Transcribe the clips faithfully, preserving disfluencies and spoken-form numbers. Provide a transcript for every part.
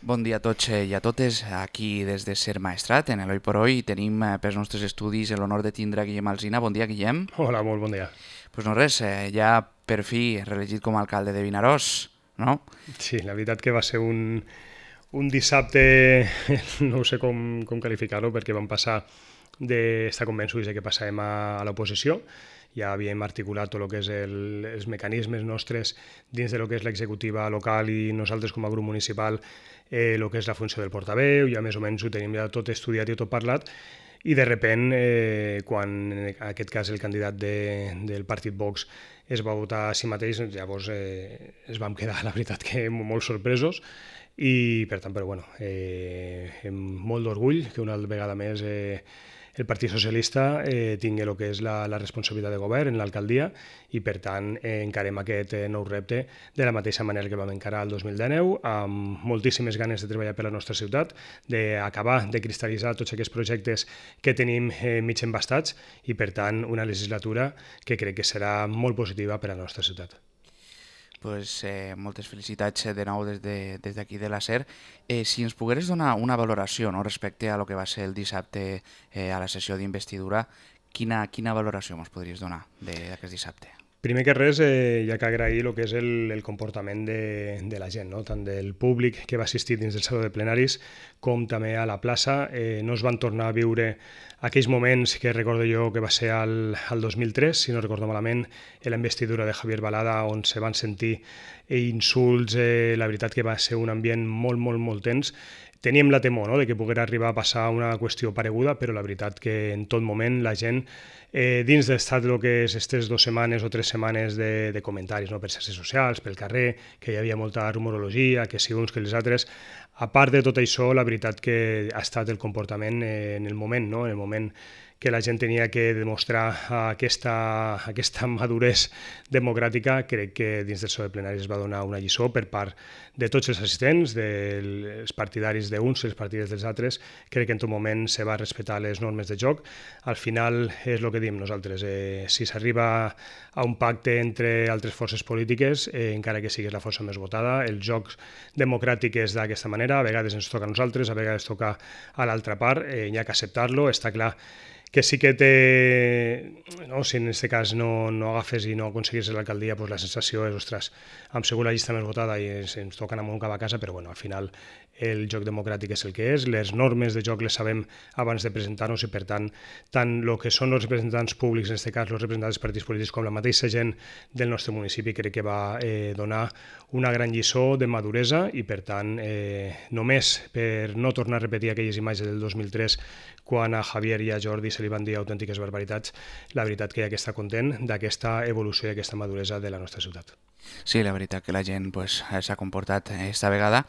Bon dia a tots i a totes, aquí des de Ser Maestrat, en l'Oi por Hoy, tenim eh, pels nostres estudis l'honor de tindre Guillem Alsina. Bon dia, Guillem. Hola, molt bon dia. Pues no res, eh, ja per fi reelegit com a alcalde de Vinaròs, no? Sí, la veritat que va ser un, un dissabte, no sé com, com qualificar-ho, perquè vam passar d'estar convençuts de que passàvem a, a l'oposició. Ja havíem articulat tot el que és el, els mecanismes nostres dins de lo que és l'executiva local i nosaltres com a grup municipal eh, el que és la funció del portaveu, ja més o menys ho tenim ja tot estudiat i tot parlat, i de repent, eh, quan en aquest cas el candidat de, del partit Vox es va votar a si mateix, llavors eh, es vam quedar, la veritat, que molt sorpresos, i per tant, però bueno, eh, amb molt d'orgull que una vegada més eh, el Partit Socialista eh, tingui el que és la, la responsabilitat de govern en l'alcaldia i per tant eh, encarem aquest eh, nou repte de la mateixa manera que vam encarar el dos mil dinou, amb moltíssimes ganes de treballar per la nostra ciutat, d'acabar de cristal·litzar tots aquests projectes que tenim eh, mig embastats i per tant una legislatura que crec que serà molt positiva per a la nostra ciutat. Pues, eh, moltes felicitats de nou des de, des d'aquí de la SER. Eh, si ens pogueres donar una valoració, no, respecte a lo que va ser el dissabte eh, a la sessió d'investidura, quina, quina valoració ens podries donar d'aquest dissabte? Primer que res, eh, hi ha que agrair el que és el, el comportament de, de la gent, no? Tant del públic que va assistir dins del saló de plenaris com també a la plaça. Eh, no es van tornar a viure aquells moments que recordo jo que va ser al, al dos mil tres, si no recordo malament, en la investidura de Javier Balada, on se van sentir insults. Eh, la veritat que va ser un ambient molt, molt, molt tens. Teníem la temor, no?, de que poguera arribar a passar una qüestió pareguda, però la veritat que en tot moment la gent, eh, dins d'estat el que és aquestes dues setmanes o tres setmanes de, de comentaris, no?, per xarxes socials, pel carrer, que hi havia molta rumorologia, que si uns que els altres, a part de tot això, la veritat que ha estat el comportament eh, en el moment, no?, en el moment que la gent tenia que demostrar aquesta, aquesta maduresa democràtica. Crec que dins del saló de plenaris es va donar una lliçó per part de tots els assistents, dels partidaris d'uns i els partidaris dels altres. Crec que en tot moment se va respectar les normes de joc. Al final és el que diem nosaltres, eh, si s'arriba a un pacte entre altres forces polítiques, eh, encara que siguis la força més votada, els jocs democràtics és d'aquesta manera, a vegades ens toca a nosaltres, a vegades toca a l'altra part, eh, hi ha que acceptar-lo. Està clar que sí que té, no, si en aquest cas no, no agafes i no aconseguis l'alcaldia, doncs la sensació és, ostres, hem sigut la llista més votada i ens, ens toca anar molt cap a casa, però bueno, al final el joc democràtic és el que és, les normes de joc les sabem abans de presentar-nos i per tant, tant el que són els representants públics, en aquest cas els representants dels partits polítics, com la mateixa gent del nostre municipi, crec que va eh, donar una gran lliçó de maduresa i per tant, eh, només per no tornar a repetir aquelles imatges del dos mil tres quan a Javier i a Jordi se li van dir autèntiques barbaritats, la veritat que hi ha que estar content d'aquesta evolució i aquesta maduresa de la nostra ciutat. Sí, la veritat que la gent pues, s'ha comportat esta vegada.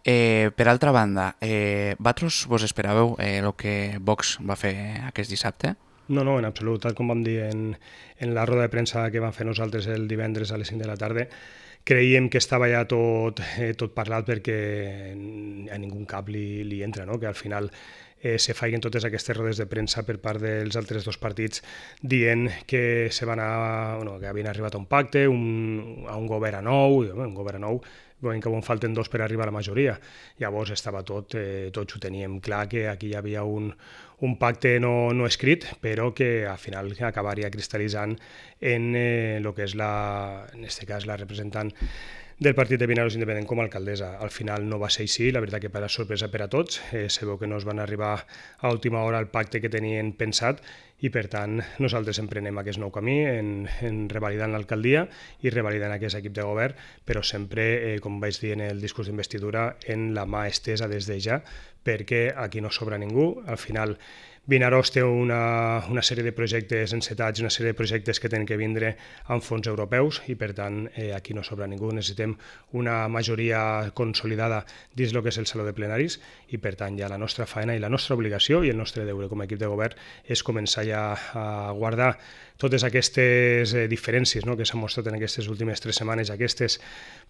Eh, per altra banda, eh, vosaltres vos esperàveu eh, el que Vox va fer aquest dissabte? No, no, en absolut. Tal com vam dir en, en la roda de premsa que vam fer nosaltres el divendres a les cinc de la tarda, creiem que estava ja tot, eh, tot parlat perquè a ningú cap li, li entra, no? Que al final eh, se faiguen totes aquestes rodes de premsa per part dels altres dos partits dient que se van a, bueno, que havien arribat a un pacte, un, a un govern nou, un govern nou, veiem que en falten dos per arribar a la majoria. Llavors estava tot, eh, tots ho teníem clar, que aquí hi havia un, un pacte no, no escrit, però que al final acabaria cristal·litzant en eh, el que és la, en aquest cas la representant del partit de Vinaròs Independent com a alcaldessa. Al final no va ser així, la veritat que per a sorpresa per a tots, eh, se veu que no es van arribar a última hora al pacte que tenien pensat i per tant nosaltres emprenem aquest nou camí en, en revalidant l'alcaldia i revalidant aquest equip de govern, però sempre, eh, com vaig dir en el discurs d'investidura, en la mà estesa des de ja, perquè aquí no sobra ningú. Al final Vinaròs té una, una sèrie de projectes encetats, una sèrie de projectes que tenen que vindre amb fons europeus i per tant eh, aquí no sobra ningú. Necessitem una majoria consolidada dins el que és el saló de plenaris i per tant ja la nostra feina i la nostra obligació i el nostre deure com a equip de govern és començar ja a guardar totes aquestes eh, diferències, no?, que s'han mostrat en aquestes últimes tres setmanes, aquestes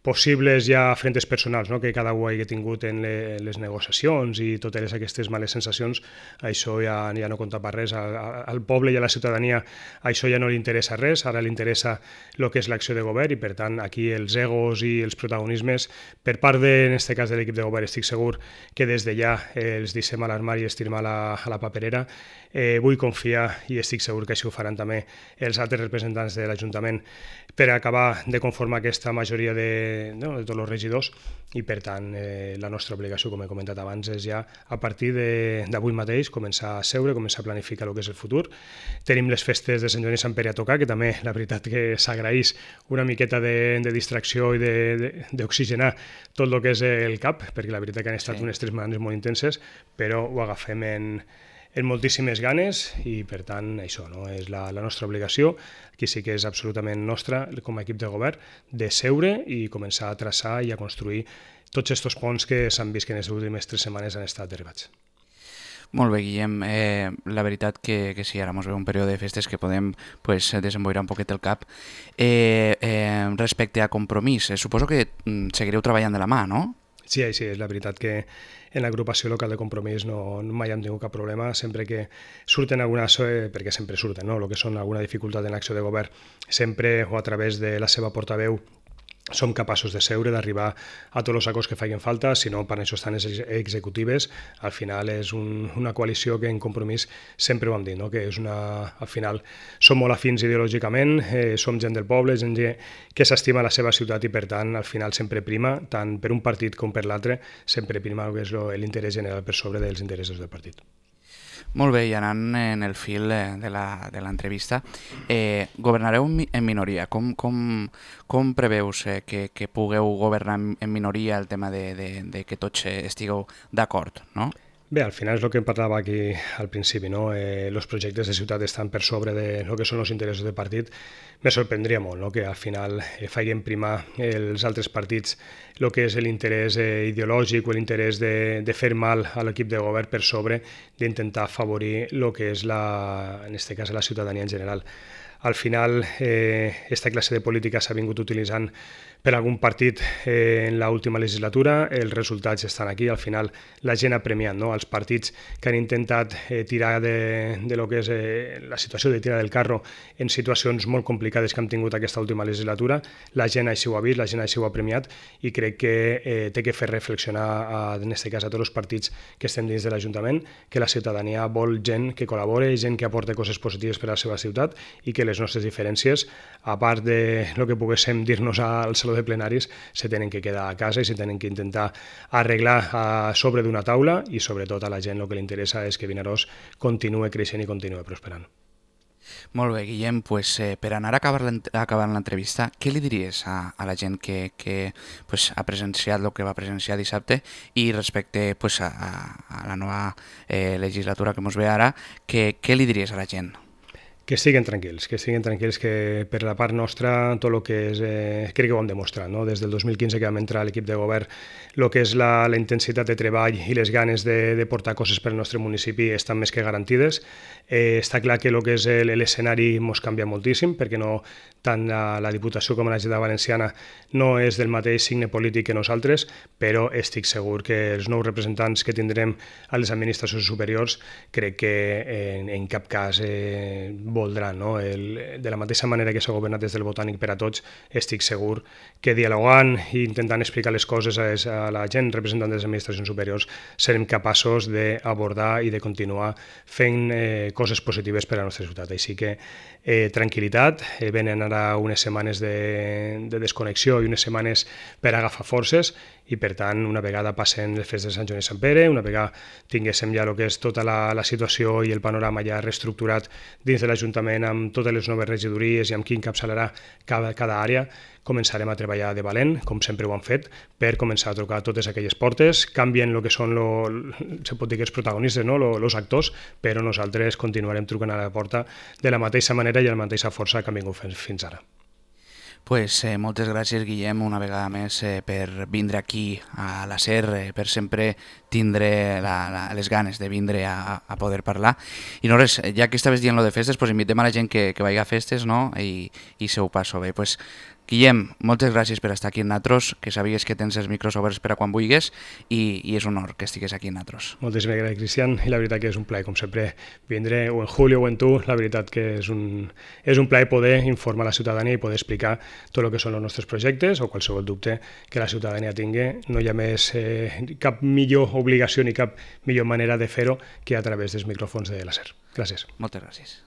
possibles ja frentes personals, no?, que cada un hagi tingut en le, les negociacions i totes aquestes males sensacions, això ja, ja no compta per res. Al, al poble i a la ciutadania això ja no li interessa res, ara li interessa el que és l'acció de govern i, per tant, aquí els egos i els protagonismes, per part, de, en aquest cas, de l'equip de govern, estic segur que des de ja eh, els deixem a l'armari i els tirem a la, a la paperera. Eh, vull confiar i estic segur que així ho faran també els altres representants de l'Ajuntament per acabar de conformar aquesta majoria de, no, de tots els regidors i, per tant, eh, la nostra obligació, com he comentat abans, és ja a partir d'avui mateix començar a seure, començar a planificar el que és el futur. Tenim les festes de Sant Joan i Sant Pere a tocar, que també la veritat que s'agraeix una miqueta de, de distracció i d'oxigenar tot el que és el cap, perquè la veritat que han estat sí. unes tres setmanes molt intenses, però ho agafem en, en moltíssimes ganes i, per tant, això no és la, la nostra obligació. Aquí sí que és absolutament nostra, com a equip de govern, de seure i començar a traçar i a construir tots aquests ponts que s'han vist que en les últimes tres setmanes han estat derivats. Molt bé, Guillem. Eh, la veritat que, que sí, ara ens ve un període de festes que podem pues, desemboirar un poquet el cap. Eh, eh, respecte a Compromís, eh, suposo que mm, seguireu treballant de la mà, no? Sí, sí, és la veritat que en l'agrupació local de Compromís no, mai hem tingut cap problema, sempre que surten algunes, eh, perquè sempre surten, no?, el que són alguna dificultat en l'acció de govern, sempre o a través de la seva portaveu som capaços de seure, d'arribar a tots els acords que facin falta, si no, per això estan les executives. Al final és un, una coalició que en Compromís sempre ho hem dit, no?, que és una, al final som molt afins ideològicament, eh, som gent del poble, gent que s'estima la seva ciutat i, per tant, al final sempre prima, tant per un partit com per l'altre, sempre prima el que és l'interès general per sobre dels interessos del partit. Molt bé, i anant en el fil de l'entrevista, eh, governareu en minoria. Com, com, com preveus eh, que, que pugueu governar en minoria el tema de, de, de que tots estigueu d'acord, no? Bé, al final és el que em parlava aquí al principi, no? Eh, els projectes de ciutat estan per sobre de lo que són els interessos del partit. Me sorprendria molt, no?, que al final eh, facin primar els altres partits el que és l'interès eh, ideològic o l'interès de, de fer mal a l'equip de govern per sobre d'intentar afavorir el que és, la, en aquest cas, la ciutadania en general. Al final, eh, aquesta classe de política s'ha vingut utilitzant per algun partit eh, en l'última legislatura, els resultats estan aquí, al final la gent ha premiat, no?, els partits que han intentat eh, tirar de, de lo que és eh, la situació de tirar del carro en situacions molt complicades que hem tingut aquesta última legislatura, la gent així ho ha vist, la gent així ho ha premiat i crec que eh, té que fer reflexionar, a, en aquest cas, a tots els partits que estem dins de l'Ajuntament, que la ciutadania vol gent que col·labore, gent que aporta coses positives per a la seva ciutat i que les nostres diferències, a part de lo que poguéssim dir-nos al Saló de Plenaris, se tenen que quedar a casa i se tenen que intentar arreglar a sobre d'una taula i sobretot a la gent el que li interessa és que Vinaròs continuï creixent i continuï prosperant. Molt bé, Guillem, pues, eh, per anar acabant l'entrevista, què li diries a, a la gent que, que pues, ha presenciat el que va presenciar dissabte i respecte pues, a, a la nova eh, legislatura que ens ve ara, que, què li diries a la gent? Que estiguen tranquils, que estiguen tranquils, que per la part nostra tot el que és, eh, crec que ho hem demostrat, no? Des del dos mil quinze que vam entrar a l'equip de govern, el que és la, la intensitat de treball i les ganes de, de portar coses per al nostre municipi estan més que garantides. Eh, està clar que el que és l'escenari ens canvia moltíssim, perquè no, tant la, la Diputació com la Generalitat Valenciana no és del mateix signe polític que nosaltres, però estic segur que els nous representants que tindrem a les administracions superiors crec que en, en cap cas eh, voldran, no? El, de la mateixa manera que s'ha governat des del Botànic per a tots, estic segur que dialogant i intentant explicar les coses a, a la gent representant de les administracions superiors serem capaços d'abordar i de continuar fent eh, coses positives per a la nostra ciutat. Així que eh, tranquil·litat, eh, venen ara unes setmanes de, de desconnexió i unes setmanes per agafar forces i, per tant, una vegada passen les festes de Sant Joan i Sant Pere, una vegada tinguéssim ja el que és tota la, la situació i el panorama ja reestructurat dins de l'Ajuntament amb totes les noves regidories i amb qui encapçalarà cada, cada àrea, començarem a treballar de valent, com sempre ho han fet, per començar a trucar totes aquelles portes, canvien el que són, lo, se pot dir que els protagonistes, no? Els actors, però nosaltres continuarem trucant a la porta de la mateixa manera i amb la mateixa força que hem vingut fins ara. Pues eh, moltes gràcies, Guillem, una vegada més eh, per vindre aquí a la SER, eh, per sempre tindre la, la, les ganes de vindre a, a poder parlar. I no res, ja que estaves dient lo de festes, pues invitem a la gent que, que vagi a festes, no? I, i se ho passo bé. Pues, Guillem, moltes gràcies per estar aquí amb nosaltres, que sabies que tens els micros oberts per a quan vulguis i, i és un honor que estigues aquí amb nosaltres. Moltíssimes gràcies, Cristian, i la veritat que és un plaer, com sempre, vindre o en Julio o en tu, la veritat que és un, és un plaer poder informar la ciutadania i poder explicar tot el que són els nostres projectes o qualsevol dubte que la ciutadania tingui. No hi ha més eh, cap millor obligació ni cap millor manera de fer-ho que a través dels micròfons de la SER. Gràcies. Moltes gràcies.